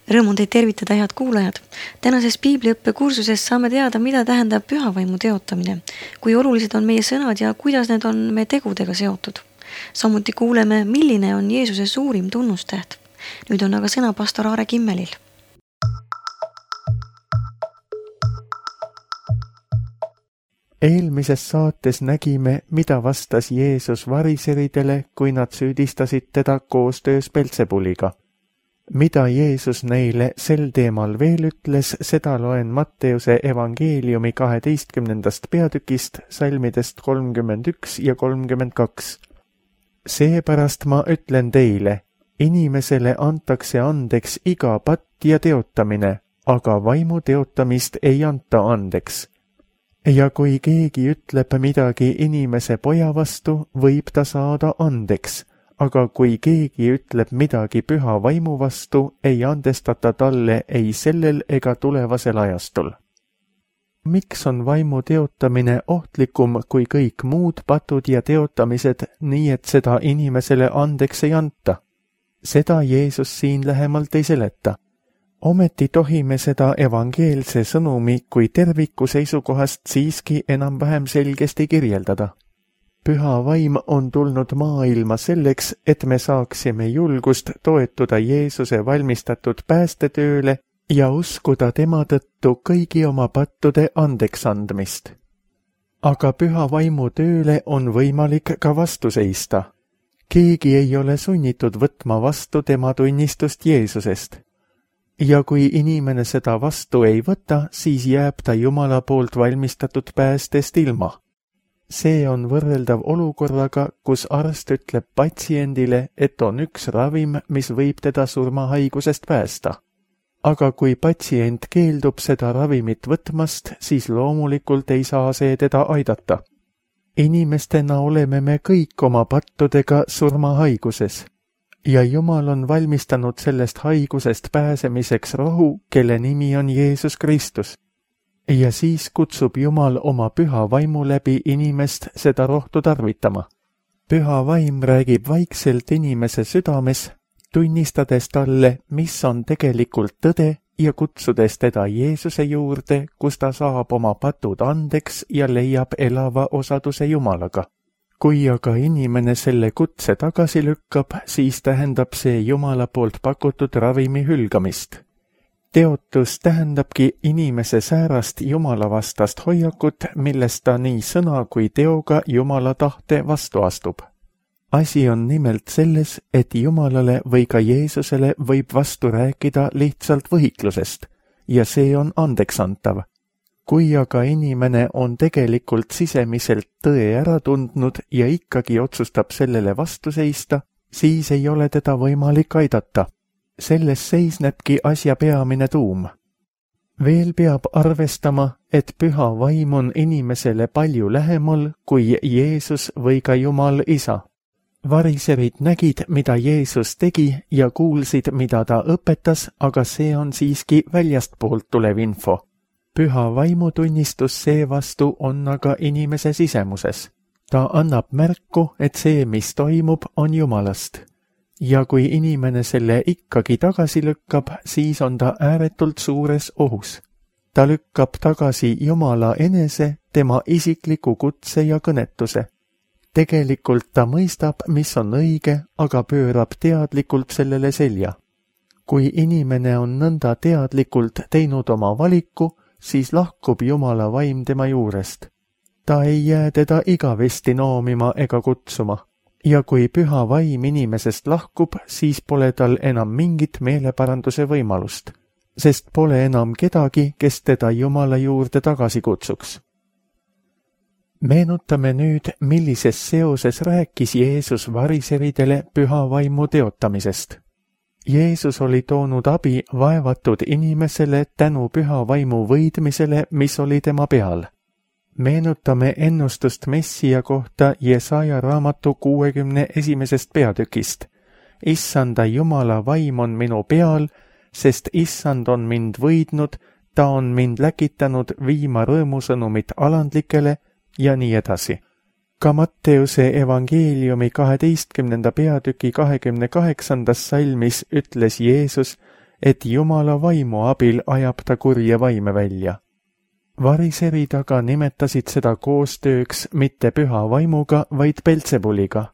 Rõõm on teid tervitada, head kuulajad. Tänases piibliõppe kursuses saame teada, mida tähendab pühavaimu teotamine, kui olulised on meie sõnad ja kuidas need on meie tegudega seotud. Samuti kuuleme, milline on Jeesuse suurim tunnustäht. Nüüd on aga sõna pastor Aare Kimmelil. Eelmises saates nägime, mida vastas Jeesus variseridele, kui nad süüdistasid teda koostöös Belzebuliga. Mida Jeesus neile sel teemal veel ütles, seda loen Matteuse evangeeliumi 12. peatükist, salmidest 31 ja 32. Seepärast ma ütlen teile, inimesele antakse andeks iga patt ja teotamine, aga vaimu teotamist ei anta andeks. Ja kui keegi ütleb midagi inimese poja vastu, võib ta saada andeks, aga kui keegi ütleb midagi püha vaimu vastu, ei andestata talle ei sellel ega tulevasel ajastul. Miks on vaimu teotamine ohtlikum kui kõik muud patud ja teotamised, nii et seda inimesele andeks ei anta? Seda Jeesus siin lähemalt ei seleta. Ometi tohime seda evangeelse sõnumi kui terviku seisukohast siiski enam-vähem selgesti kirjeldada. Püha vaim on tulnud maailma selleks, et me saaksime julgust toetuda Jeesuse valmistatud päästetööle ja uskuda tema tõttu kõigi oma pattude andeks andmist. Aga püha vaimu tööle on võimalik ka vastu seista. Keegi ei ole sunnitud võtma vastu tema tunnistust Jeesusest. Ja kui inimene seda vastu ei võta, siis jääb ta Jumala poolt valmistatud päästest ilma. See on võrreldav olukorraga, kus arst ütleb patsiendile, et on üks ravim, mis võib teda surmahaigusest päästa. Aga kui patsient keeldub seda ravimit võtmast, siis loomulikult ei saa see teda aidata. Inimestena oleme me kõik oma pattudega surmahaiguses. Ja Jumal on valmistanud sellest haigusest pääsemiseks rohu, kelle nimi on Jeesus Kristus. Ja siis kutsub Jumal oma püha vaimu läbi inimest seda rohtu tarvitama. Püha vaim räägib vaikselt inimese südames, tunnistades talle, mis on tegelikult tõde ja kutsudes teda Jeesuse juurde, kus ta saab oma patud andeks ja leiab elava osaduse Jumalaga. Kui aga inimene selle kutse tagasi lükkab, siis tähendab see Jumala poolt pakutud ravimi hülgamist. Teotus tähendabki inimese säärast Jumala vastast hoiakut, millest ta nii sõna kui teoga Jumala tahte vastu astub. Asi on nimelt selles, et Jumalale või ka Jeesusele võib vastu rääkida lihtsalt võhiklusest, ja see on andeksantav. Kui aga inimene on tegelikult sisemiselt tõe ära tundnud ja ikkagi otsustab sellele vastu seista, siis ei ole teda võimalik aidata. Selles seisnebki asja peamine tuum. Veel peab arvestama, et püha vaim on inimesele palju lähemal kui Jeesus või ka Jumal Isa. Variserid nägid, mida Jeesus tegi ja kuulsid, mida ta õpetas, aga see on siiski väljastpoolt tulev info. Püha vaimutunnistus seevastu on aga inimese sisemuses. Ta annab märku, et see, mis toimub, on Jumalast. Ja kui inimene selle ikkagi tagasi lükkab, siis on ta ääretult suures ohus. Ta lükkab tagasi Jumala enese, tema isikliku kutse ja kõnetuse. Tegelikult ta mõistab, mis on õige, aga pöörab teadlikult sellele selja. Kui inimene on nõnda teadlikult teinud oma valiku, siis lahkub Jumala vaim tema juurest. Ta ei jää teda igavesti noomima ega kutsuma. Ja kui püha vaim inimesest lahkub, siis pole tal enam mingit meeleparanduse võimalust, sest pole enam kedagi, kes teda Jumala juurde tagasi kutsuks. Meenutame nüüd, millises seoses rääkis Jeesus variseridele püha vaimu teotamisest. Jeesus oli toonud abi vaevatud inimesele tänu püha vaimu võidmisele, mis oli tema peal. Meenutame ennustust Messia kohta Jesaja raamatu 61. peatükist. Issanda Jumala vaim on minu peal, sest Issand on mind võidnud, ta on mind läkitanud viima rõõmusõnumit alandlikele ja nii edasi. Ka Matteuse evangeeliumi 12. peatüki 28. salmis ütles Jeesus, et Jumala vaimu abil ajab ta kurje vaime välja. Variserid aga nimetasid seda koostööks mitte püha vaimuga, vaid Belzebuliga.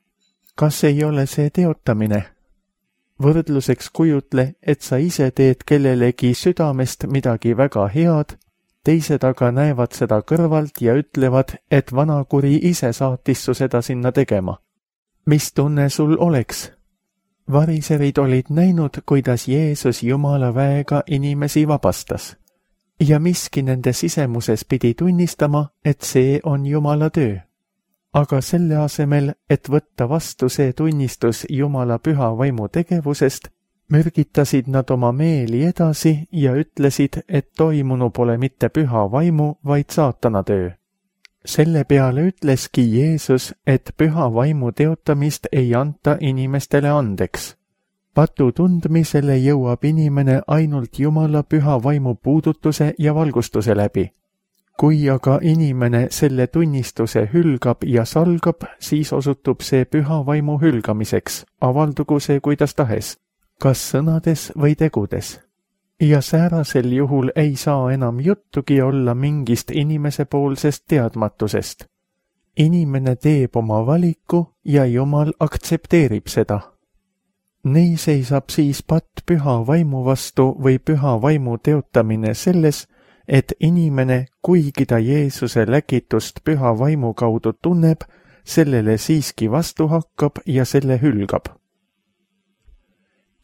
Kas ei ole see teotamine? Võrdluseks kujutle, et sa ise teed kellelegi südamest midagi väga head, teised aga näevad seda kõrvalt ja ütlevad, et vanakuri ise saatis su seda sinna tegema. Mis tunne sul oleks? Variserid olid näinud, kuidas Jeesus Jumala väega inimesi vabastas. Ja miski nende sisemuses pidi tunnistama, et see on Jumala töö. Aga selle asemel, et võtta vastu see tunnistus Jumala püha vaimu tegevusest, mürgitasid nad oma meeli edasi ja ütlesid, et toimunu pole mitte püha vaimu, vaid saatana töö. Selle peale ütleski Jeesus, et püha vaimu teotamist ei anta inimestele andeks. Patu tundmisele jõuab inimene ainult Jumala püha vaimu puudutuse ja valgustuse läbi. Kui aga inimene selle tunnistuse hülgab ja salgab, siis osutub see püha vaimu hülgamiseks, avaldugu see kuidas tahes, kas sõnades või tegudes. Ja säärasel juhul ei saa enam juttugi olla mingist inimesepoolsest teadmatusest. Inimene teeb oma valiku ja Jumal aktsepteerib seda. Nii seisab siis patt püha vaimu vastu või püha vaimu teotamine selles, et inimene, kuigi ta Jeesuse läkitust püha vaimu kaudu tunneb, sellele siiski vastu hakkab ja selle hülgab.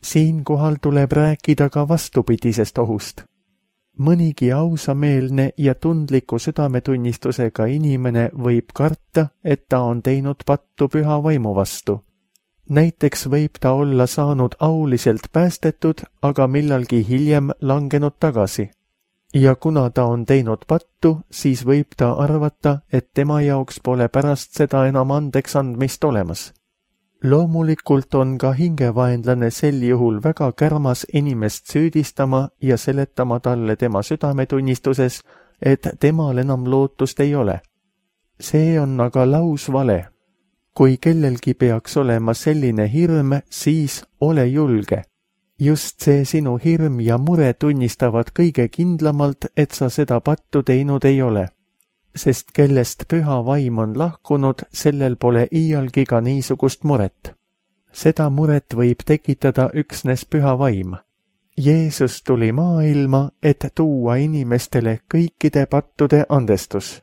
Siinkohal tuleb rääkida ka vastupidisest ohust. Mõnigi ausameelne ja tundliku südametunnistusega inimene võib karta, et ta on teinud pattu püha vaimu vastu. Näiteks võib ta olla saanud auliselt päästetud, aga millalgi hiljem langenud tagasi. Ja kuna ta on teinud pattu, siis võib ta arvata, et tema jaoks pole pärast seda enam andeks andmist olemas. Loomulikult on ka hingevaenlane sel juhul väga kärmas inimest süüdistama ja seletama talle tema südametunnistuses, et temal enam lootust ei ole. See on aga lausvale. Kui kellelgi peaks olema selline hirm, siis ole julge. Just see sinu hirm ja mure tunnistavad kõige kindlamalt, et sa seda pattu teinud ei ole. Sest kellest püha vaim on lahkunud, sellel pole iialgi ka niisugust muret. Seda muret võib tekitada üksnes püha vaim. Jeesus tuli maailma, et tuua inimestele kõikide pattude andestus.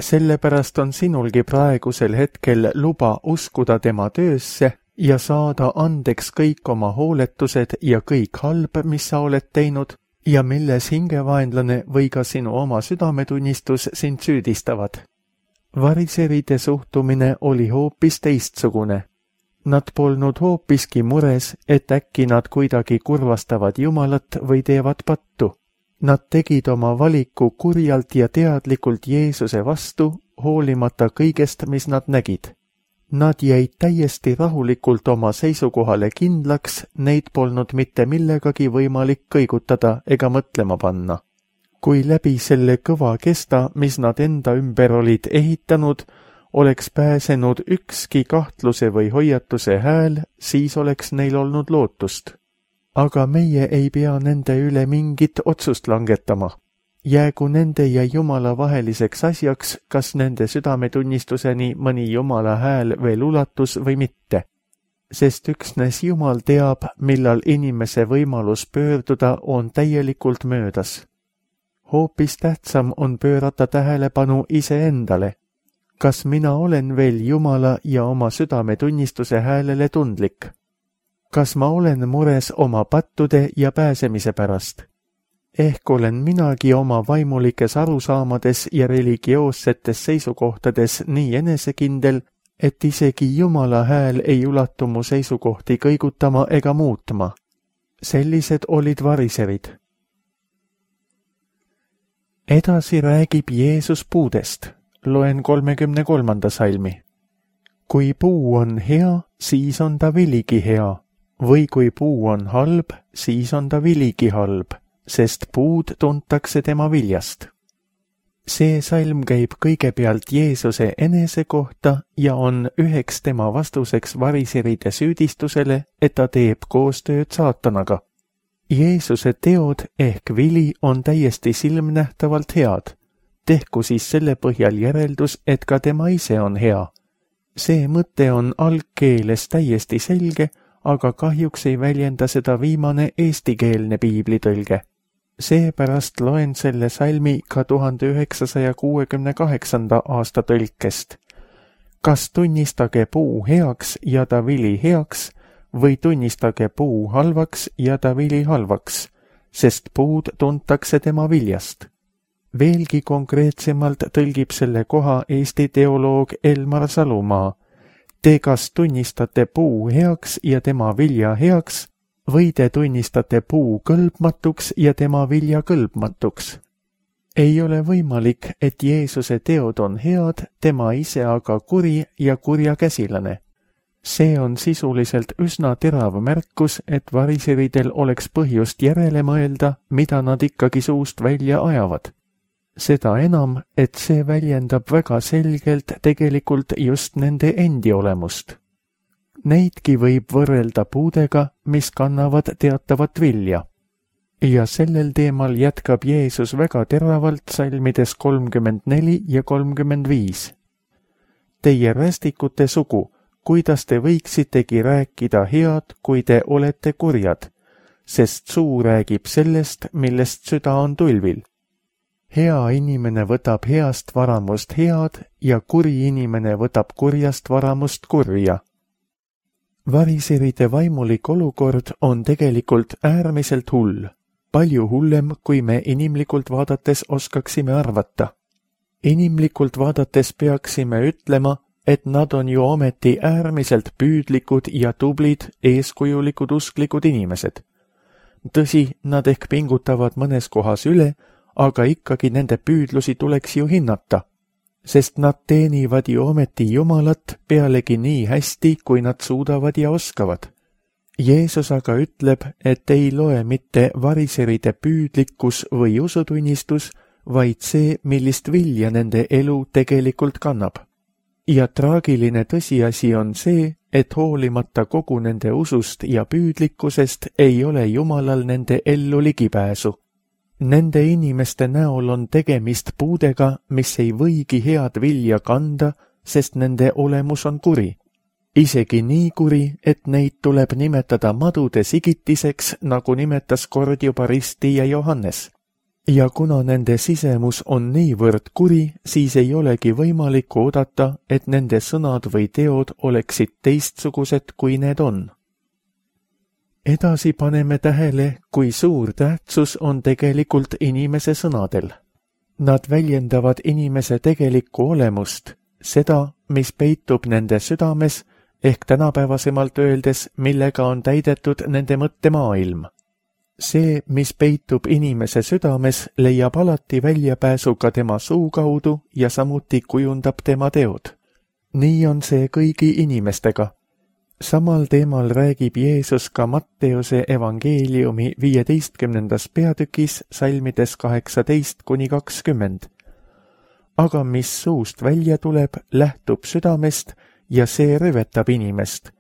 Sellepärast on sinulgi praegusel hetkel luba uskuda tema töösse ja saada andeks kõik oma hooletused ja kõik halb, mis sa oled teinud ja milles hingevaenlane või ka sinu oma südametunnistus sind süüdistavad. Variseride suhtumine oli hoopis teistsugune. Nad polnud hoopiski mures, et äkki nad kuidagi kurvastavad Jumalat või teevad pattu. Nad tegid oma valiku kurjalt ja teadlikult Jeesuse vastu, hoolimata kõigest, mis nad nägid. Nad jäid täiesti rahulikult oma seisukohale kindlaks, neid polnud mitte millegagi võimalik kõigutada ega mõtlema panna. Kui läbi selle kõva kesta, mis nad enda ümber olid ehitanud, oleks pääsenud ükski kahtluse või hoiatuse hääl, siis oleks neil olnud lootust. Aga meie ei pea nende üle mingit otsust langetama. Jäägu nende ja Jumala vaheliseks asjaks, kas nende südametunnistuseni mõni Jumala hääl veel ulatus või mitte. Sest üksnes Jumal teab, millal inimese võimalus pöörduda on täielikult möödas. Hoopis tähtsam on pöörata tähelepanu iseendale. Kas mina olen veel Jumala ja oma südametunnistuse häälele tundlik? Kas ma olen mures oma pattude ja pääsemise pärast? Ehk olen minagi oma vaimulikes arusaamades ja religioossetes seisukohtades nii enesekindel, et isegi Jumala hääl ei ulatu mu seisukohti kõigutama ega muutma. Sellised olid variserid. Edasi räägib Jeesus puudest. Loen 33. salmi. Kui puu on hea, siis on ta viligi hea. Või kui puu on halb, siis on ta viligi halb, sest puud tuntakse tema viljast. See salm käib kõigepealt Jeesuse enese kohta ja on üheks tema vastuseks variseride süüdistusele, et ta teeb koostööd saatanaga. Jeesuse teod ehk vili on täiesti silmnähtavalt head. Tehku siis selle põhjal järeldus, et ka tema ise on hea. See mõte on algkeeles täiesti selge, aga kahjuks ei väljenda seda viimane eestikeelne piiblitõlge. Seepärast loen selle salmi ka 1968. aasta tõlkest. Kas tunnistage puu heaks ja ta vili heaks või tunnistage puu halvaks ja ta vili halvaks, sest puud tuntakse tema viljast. Veelgi konkreetsemalt tõlgib selle koha Eesti teoloog Elmar Salumaa. Te kas tunnistate puu heaks ja tema vilja heaks või te tunnistate puu kõlbmatuks ja tema vilja kõlbmatuks. Ei ole võimalik, et Jeesuse teod on head, tema ise aga kuri ja kurjakäsilane. See on sisuliselt üsna terav märkus, et variseridel oleks põhjust järele mõelda, mida nad ikkagi suust välja ajavad. Seda enam, et see väljendab väga selgelt tegelikult just nende endi olemust. Neidki võib võrrelda puudega, mis kannavad teatavat vilja. Ja sellel teemal jätkab Jeesus väga teravalt salmides 34 ja 35. Teie rästikute sugu, kuidas te võiksitegi rääkida head, kui te olete kurjad, sest suu räägib sellest, millest süda on tulvil. Hea inimene võtab heast varamust head ja kuri inimene võtab kurjast varamust kurja. Variseride vaimulik olukord on tegelikult äärmiselt hull, palju hullem, kui me inimlikult vaadates oskaksime arvata. Inimlikult vaadates peaksime ütlema, et nad on ju ometi äärmiselt püüdlikud ja tublid, eeskujulikud usklikud inimesed. Tõsi, nad ehk pingutavad mõnes kohas üle, aga ikkagi nende püüdlusi tuleks ju hinnata, sest nad teenivad ju ometi Jumalat pealegi nii hästi, kui nad suudavad ja oskavad. Jeesus aga ütleb, et ei loe mitte variseride püüdlikkus või usutunnistus, vaid see, millist vilja nende elu tegelikult kannab. Ja traagiline tõsiasi on see, et hoolimata kogu nende usust ja püüdlikkusest ei ole Jumalal nende ellu ligipääsu. Nende inimeste näol on tegemist puudega, mis ei võigi head vilja kanda, sest nende olemus on kuri. Isegi nii kuri, et neid tuleb nimetada madude sigitiseks, nagu nimetas kord juba Risti ja Johannes. Ja kuna nende sisemus on niivõrd kuri, siis ei olegi võimalik oodata, et nende sõnad või teod oleksid teistsugused, kui need on. Edasi paneme tähele, kui suur tähtsus on tegelikult inimese sõnadel. Nad väljendavad inimese tegelikku olemust, seda, mis peitub nende südames, ehk tänapäevasemalt öeldes, millega on täidetud nende mõttemaailm. See, mis peitub inimese südames, leiab alati väljapääsu ka tema suu kaudu ja samuti kujundab tema teod. Nii on see kõigi inimestega. Samal teemal räägib Jeesus ka Matteuse evangeeliumi 15. peatükis salmides 18–20. Aga mis suust välja tuleb, lähtub südamest ja see rüvetab inimest,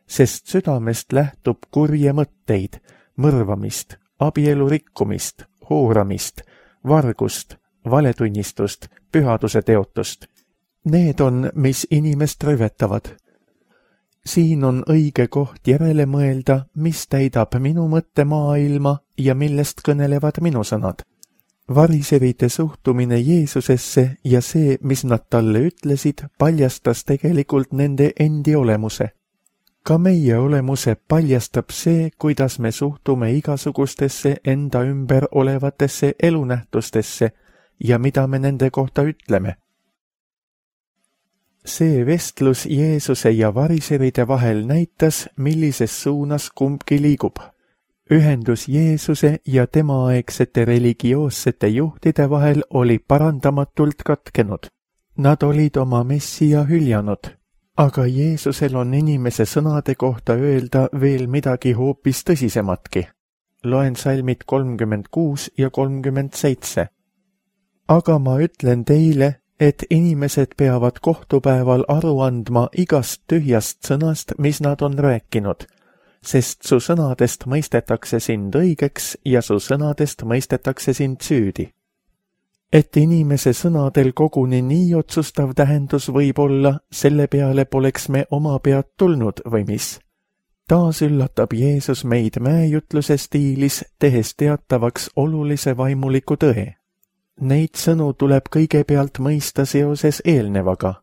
sest südamest lähtub kurje mõtteid, mõrvamist, abielu rikkumist, hooramist, vargust, valetunnistust, pühaduse teotust. Need on, mis inimest rüvetavad. Siin on õige koht järele mõelda, mis täidab minu mõttemaailma ja millest kõnelevad minu sõnad. Variserite suhtumine Jeesusesse ja see, mis nad talle ütlesid, paljastas tegelikult nende endi olemuse. Ka meie olemuse paljastab see, kuidas me suhtume igasugustesse enda ümber olevatesse elunähtustesse ja mida me nende kohta ütleme. See vestlus Jeesuse ja variseride vahel näitas, millises suunas kumbki liigub. Ühendus Jeesuse ja temaaegsete religioossete juhtide vahel oli parandamatult katkenud. Nad olid oma Messia hüljanud, aga Jeesusel on inimese sõnade kohta öelda veel midagi hoopis tõsisematki. Loen salmid 36 ja 37. Aga ma ütlen teile, et inimesed peavad kohtupäeval aru andma igast tühjast sõnast, mis nad on rääkinud, sest su sõnadest mõistetakse sind õigeks ja su sõnadest mõistetakse sind süüdi. Et inimese sõnadel koguni nii otsustav tähendus võib olla, selle peale poleks me oma pead tulnud või mis. Taas üllatab Jeesus meid mäejutluse stiilis, tehes teatavaks olulise vaimuliku tõe. Neid sõnu tuleb kõigepealt mõista seoses eelnevaga.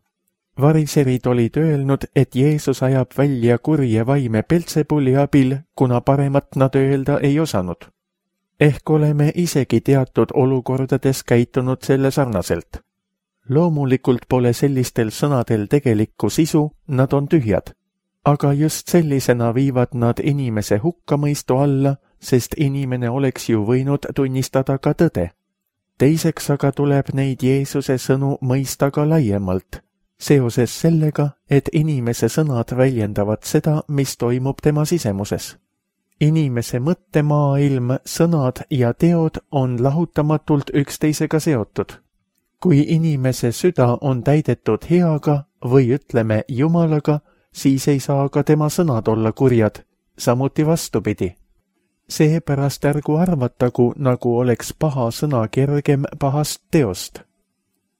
Variserid olid öelnud, et Jeesus ajab välja kurje vaime Beltsebuli abil, kuna paremat nad öelda ei osanud. Ehk oleme isegi teatud olukordades käitunud selle sarnaselt. Loomulikult pole sellistel sõnadel tegelikku sisu, nad on tühjad. Aga just sellisena viivad nad inimese hukkamõistu alla, sest inimene oleks ju võinud tunnistada ka tõde. Teiseks aga tuleb neid Jeesuse sõnu mõista ka laiemalt, seoses sellega, et inimese sõnad väljendavad seda, mis toimub tema sisemuses. Inimese mõttemaailm, sõnad ja teod on lahutamatult üksteisega seotud. Kui inimese süda on täidetud heaga või ütleme Jumalaga, siis ei saa ka tema sõnad olla kurjad, samuti vastupidi. Seepärast ärgu arvatagu, nagu oleks paha sõna kergem pahast teost.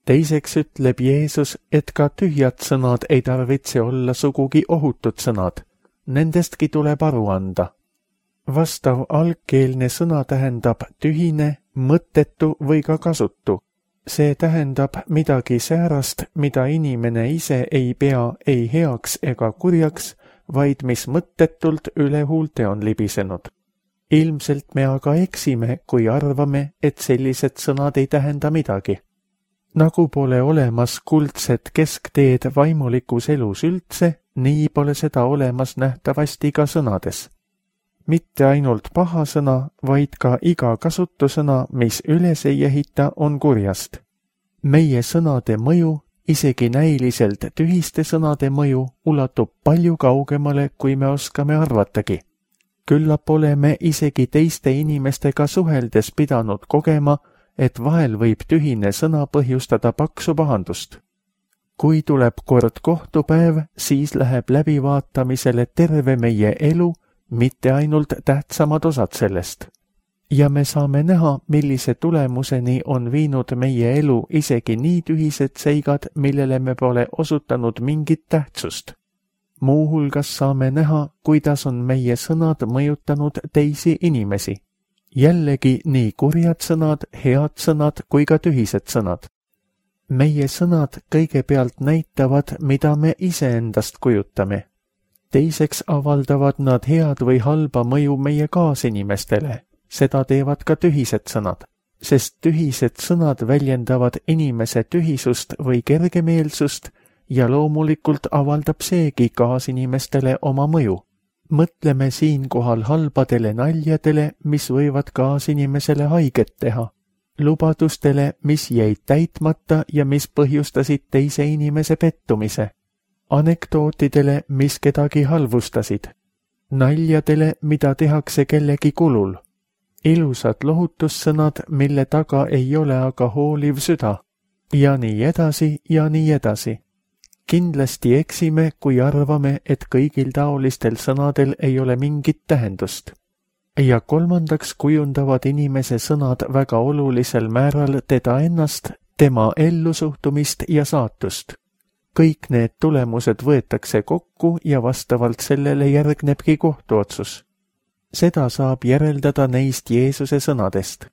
Teiseks ütleb Jeesus, et ka tühjad sõnad ei tarvitse olla sugugi ohutud sõnad. Nendestki tuleb aru anda. Vastav algkeelne sõna tähendab tühine, mõttetu või ka kasutu. See tähendab midagi säärast, mida inimene ise ei pea ei heaks ega kurjaks, vaid mis mõttetult üle huulte on libisenud. Ilmselt me aga eksime, kui arvame, et sellised sõnad ei tähenda midagi. Nagu pole olemas kuldset keskteed vaimulikus elus üldse, nii pole seda olemas nähtavasti ka sõnades. Mitte ainult paha sõna, vaid ka iga kasutusõna, mis üles ei ehita, on kurjast. Meie sõnade mõju, isegi näiliselt tühiste sõnade mõju, ulatub palju kaugemale, kui me oskame arvatagi. Küllap oleme isegi teiste inimestega suheldes pidanud kogema, et vahel võib tühine sõna põhjustada paksu pahandust. Kui tuleb kord kohtupäev, siis läheb läbivaatamisele terve meie elu, mitte ainult tähtsamad osad sellest. Ja me saame näha, millise tulemuseni on viinud meie elu isegi nii tühised seigad, millele me pole osutanud mingit tähtsust. Muuhulgas saame näha, kuidas on meie sõnad mõjutanud teisi inimesi. Jällegi nii kurjad sõnad, head sõnad kui ka tühised sõnad. Meie sõnad kõigepealt näitavad, mida me iseendast kujutame. Teiseks avaldavad nad head või halba mõju meie kaasinimestele. Seda teevad ka tühised sõnad, sest tühised sõnad väljendavad inimese tühisust või kergemeelsust ja loomulikult avaldab seegi kaasinimestele oma mõju. Mõtleme siinkohal halbadele naljadele, mis võivad kaasinimesele haiget teha, lubadustele, mis jäid täitmata ja mis põhjustasid teise inimese pettumise, anekdootidele, mis kedagi halvustasid, naljadele, mida tehakse kellegi kulul, ilusad lohutussõnad, mille taga ei ole aga hooliv süda, ja nii edasi ja nii edasi. Kindlasti eksime, kui arvame, et kõigil taolistel sõnadel ei ole mingit tähendust. Ja kolmandaks kujundavad inimese sõnad väga olulisel määral teda ennast, tema ellusuhtumist ja saatust. Kõik need tulemused võetakse kokku ja vastavalt sellele järgnebki kohtuotsus. Seda saab järeldada neist Jeesuse sõnadest.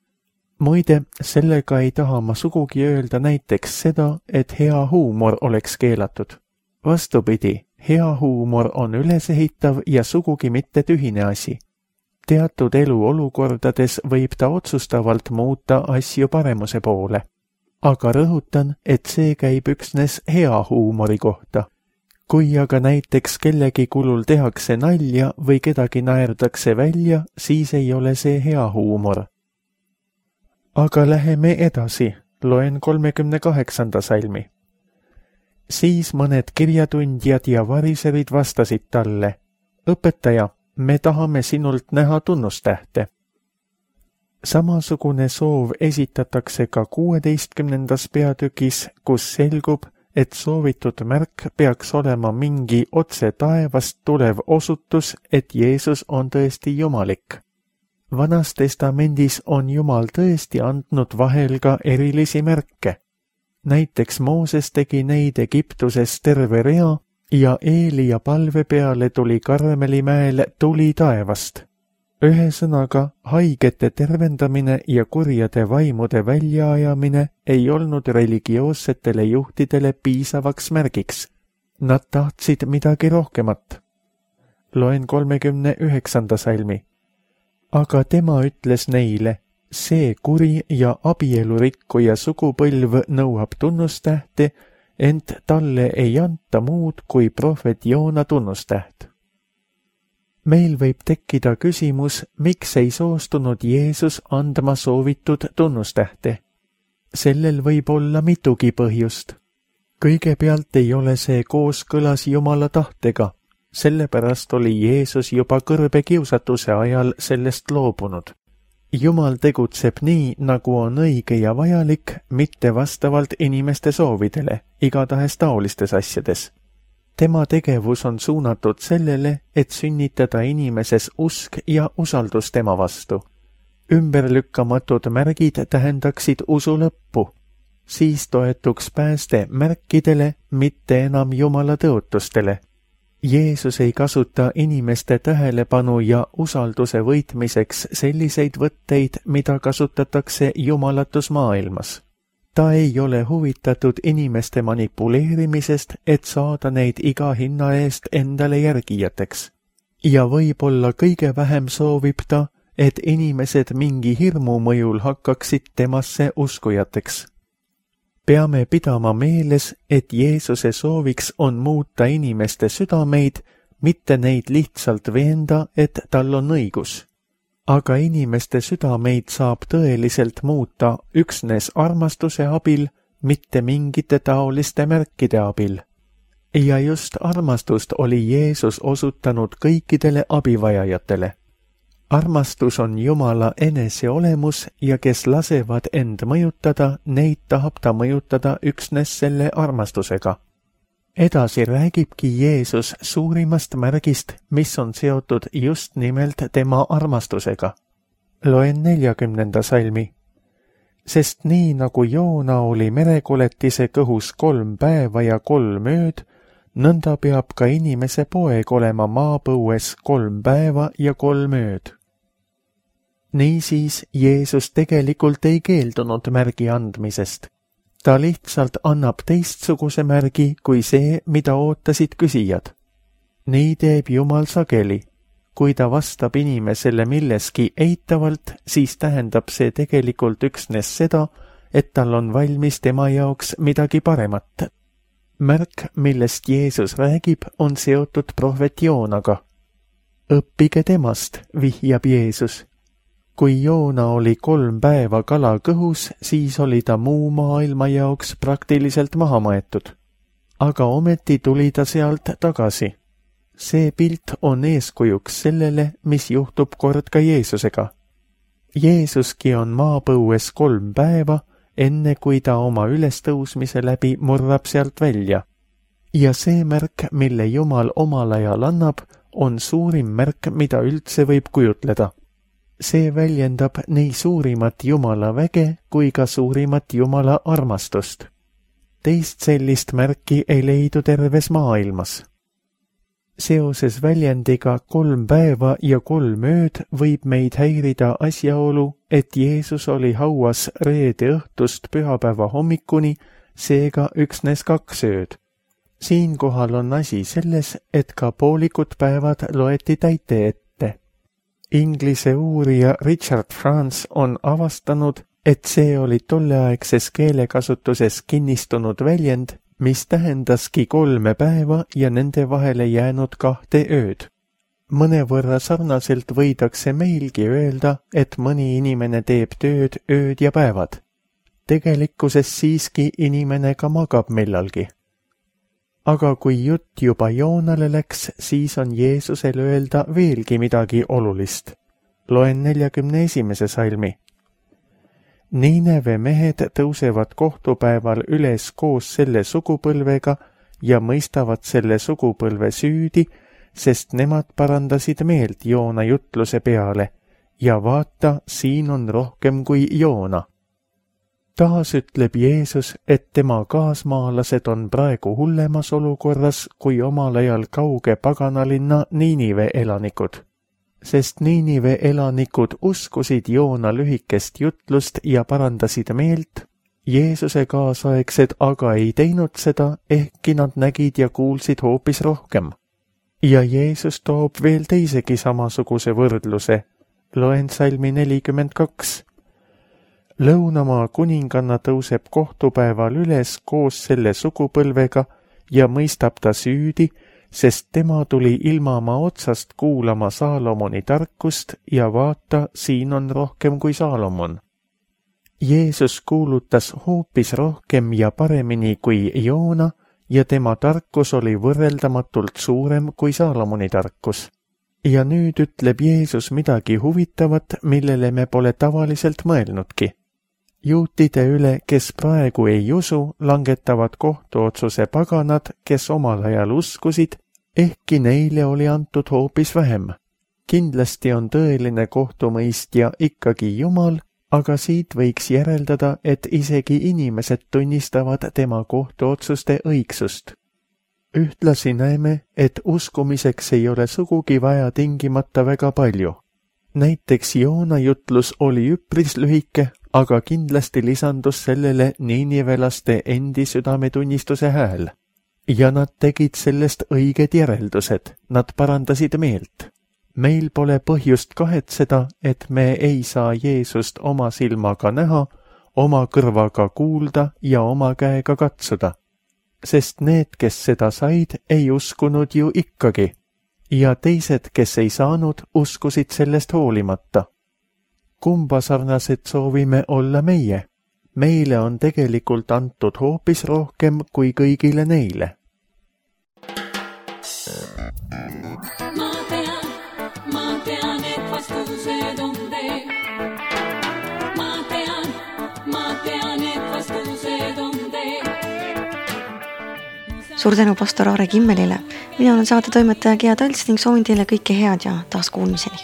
Muide, sellega ei taha ma sugugi öelda näiteks seda, et hea huumor oleks keelatud. Vastupidi, hea huumor on ülesehitav ja sugugi mitte tühine asi. Teatud eluolukordades võib ta otsustavalt muuta asju paremuse poole. Aga rõhutan, et see käib üksnes hea huumori kohta. Kui aga näiteks kellegi kulul tehakse nalja või kedagi naerdakse välja, siis ei ole see hea huumor. Aga läheme edasi, loen 38. salmi. Siis mõned kirjatundjad ja variserid vastasid talle, õpetaja, me tahame sinult näha tunnustähte. Samasugune soov esitatakse ka 16. peatükis, kus selgub, et soovitud märk peaks olema mingi otse taevast tulev osutus, et Jeesus on tõesti jumalik. Vanas testamendis on Jumal tõesti andnud vahel ka erilisi märke. Näiteks Mooses tegi neid Egiptuses terve rea ja Eelia palve peale tuli Karmelimäel tuli taevast. Ühesõnaga, haigete tervendamine ja kurjade vaimude väljaajamine ei olnud religioossetele juhtidele piisavaks märgiks. Nad tahtsid midagi rohkemat. Loen 39. salmi. Aga tema ütles neile, see kuri ja abielurikkuja sugupõlv nõuab tunnustähte, ent talle ei anta muud kui prohvet Joona tunnustäht. Meil võib tekkida küsimus, miks ei soostunud Jeesus andma soovitud tunnustähte. Sellel võib olla mitugi põhjust. Kõigepealt ei ole see kooskõlas Jumala tahtega, sellepärast oli Jeesus juba kõrbe kiusatuse ajal sellest loobunud. Jumal tegutseb nii, nagu on õige ja vajalik, mitte vastavalt inimeste soovidele, igatahes taolistes asjades. Tema tegevus on suunatud sellele, et sünnitada inimeses usk ja usaldus tema vastu. Ümberlükkamatud märgid tähendaksid usu lõppu. Siis toetuks pääste märkidele, mitte enam Jumala tõotustele. Jeesus ei kasuta inimeste tähelepanu ja usalduse võitmiseks selliseid võtteid, mida kasutatakse jumalatus maailmas. Ta ei ole huvitatud inimeste manipuleerimisest, et saada neid iga hinna eest endale järgijateks. Ja võib-olla kõige vähem soovib ta, et inimesed mingi hirmu mõjul hakkaksid temasse uskujateks. Peame pidama meeles, et Jeesuse sooviks on muuta inimeste südameid, mitte neid lihtsalt veenda, et tal on õigus. Aga inimeste südameid saab tõeliselt muuta üksnes armastuse abil, mitte mingite taoliste märkide abil. Ja just armastust oli Jeesus osutanud kõikidele abivajajatele. Armastus on Jumala eneseolemus ja kes lasevad end mõjutada, neid tahab ta mõjutada üksnes selle armastusega. Edasi räägibki Jeesus suurimast märgist, mis on seotud just nimelt tema armastusega. Loen 40. salmi. Sest nii nagu Joona oli merekoletise kõhus 3 päeva ja 3 ööd, nõnda peab ka inimese poeg olema maapõues 3 päeva ja 3 ööd. Niisiis Jeesus tegelikult ei keeldunud märgi andmisest. Ta lihtsalt annab teistsuguse märgi kui see, mida ootasid küsijad. Nii teeb Jumal sageli. Kui ta vastab inimesele milleski eitavalt, siis tähendab see tegelikult üksnes seda, et tal on valmis tema jaoks midagi paremat. Märk, millest Jeesus räägib, on seotud prohvet Joonaga. Õppige temast, vihjab Jeesus. Kui Joona oli 3 päeva kala kõhus, siis oli ta muu maailma jaoks praktiliselt maha maetud. Aga ometi tuli ta sealt tagasi. See pilt on eeskujuks sellele, mis juhtub kord ka Jeesusega. Jeesuski on maapõues 3 päeva, enne kui ta oma ülestõusmise läbi murrab sealt välja. Ja see märk, mille Jumal omal ajal annab, on suurim märk, mida üldse võib kujutleda. See väljendab nii suurimat Jumala väge kui ka suurimat Jumala armastust. Teist sellist märki ei leidu terves maailmas. Seoses väljendiga 3 päeva ja 3 ööd võib meid häirida asjaolu, et Jeesus oli hauas reede õhtust pühapäeva hommikuni, seega üksnes 2 ööd. Siinkohal on asi selles, et ka poolikud päevad loeti täite ette. Inglise uurija Richard France on avastanud, et see oli tolleaegses keelekasutuses kinnistunud väljend, mis tähendaski 3 päeva ja nende vahele jäänud 2 ööd. Mõnevõrra sarnaselt võidakse meilgi öelda, et mõni inimene teeb tööd ööd ja päevad. Tegelikkuses siiski inimene ka magab millalgi. Aga kui jutt juba Joonale läks, siis on Jeesusel öelda veelgi midagi olulist. Loen 41. salmi. Niineve mehed tõusevad kohtupäeval üles koos selle sugupõlvega ja mõistavad selle sugupõlve süüdi, sest nemad parandasid meelt Joona jutluse peale ja vaata, siin on rohkem kui Joona. Taas ütleb Jeesus, et tema kaasmaalased on praegu hullemas olukorras kui omal ajal kauge paganalinna Niinive elanikud, sest Niinive elanikud uskusid Joona lühikest jutlust ja parandasid meelt. Jeesuse kaasaegsed aga ei teinud seda, ehkki nad nägid ja kuulsid hoopis rohkem. Ja Jeesus toob veel teisegi samasuguse võrdluse. Loen salmi 42. Lõunamaa kuninganna tõuseb kohtupäeval üles koos selle sugupõlvega ja mõistab ta süüdi, sest tema tuli ilmamaa otsast kuulama Saalomoni tarkust ja vaata, siin on rohkem kui Saalomon. Jeesus kuulutas hoopis rohkem ja paremini kui Joona ja tema tarkus oli võrreldamatult suurem kui Saalomoni tarkus. Ja nüüd ütleb Jeesus midagi huvitavat, millele me pole tavaliselt mõelnudki. Juutide üle, kes praegu ei usu, langetavad kohtuotsuse paganad, kes omal ajal uskusid, ehkki neile oli antud hoopis vähem. Kindlasti on tõeline kohtumõistja ikkagi Jumal, aga siit võiks järeldada, et isegi inimesed tunnistavad tema kohtuotsuste õigsust. Ühtlasi näeme, et uskumiseks ei ole sugugi vaja tingimata väga palju. Näiteks Joona jutlus oli üpris lühike, aga kindlasti lisandus sellele niinivelaste endi südametunnistuse hääl. Ja nad tegid sellest õiged järeldused, nad parandasid meelt. Meil pole põhjust kahetseda, et me ei saa Jeesust oma silmaga näha, oma kõrvaga kuulda ja oma käega katsuda. Sest need, kes seda said, ei uskunud ju ikkagi. Ja teised, kes ei saanud, uskusid sellest hoolimata. Kumba sarnased soovime olla meie? Meile on tegelikult antud hoopis rohkem kui kõigile neile. Ma tean, et vastused on teil. Ma tean, et vastused on teil. Suur tänu pastor Aare Kimmelile. Mina olen saatetoimetaja Gea Talts ning soovin teile kõike head ja taas kuulmiseni.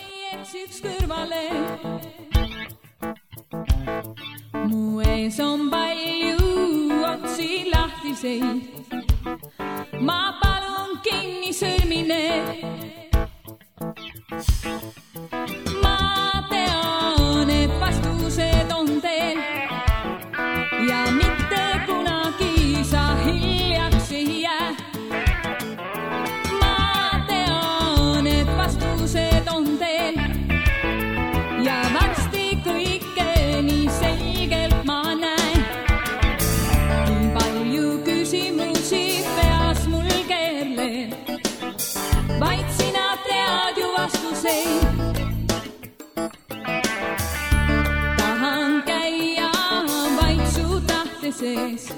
Mu ees on palju otsi lahtiseid. Ma palun kinni sõrmine. Ma tean, et vastused on teil ja mitte kunagi sa hiljaks ei jää. Ma tean, et vastused on teil ja varsti kõike nii selgelt ma näen. Nii palju küsimusi peas mul keerleb, vaid sina tead ju vastuseid. Tahan käia vaid su tahte sees.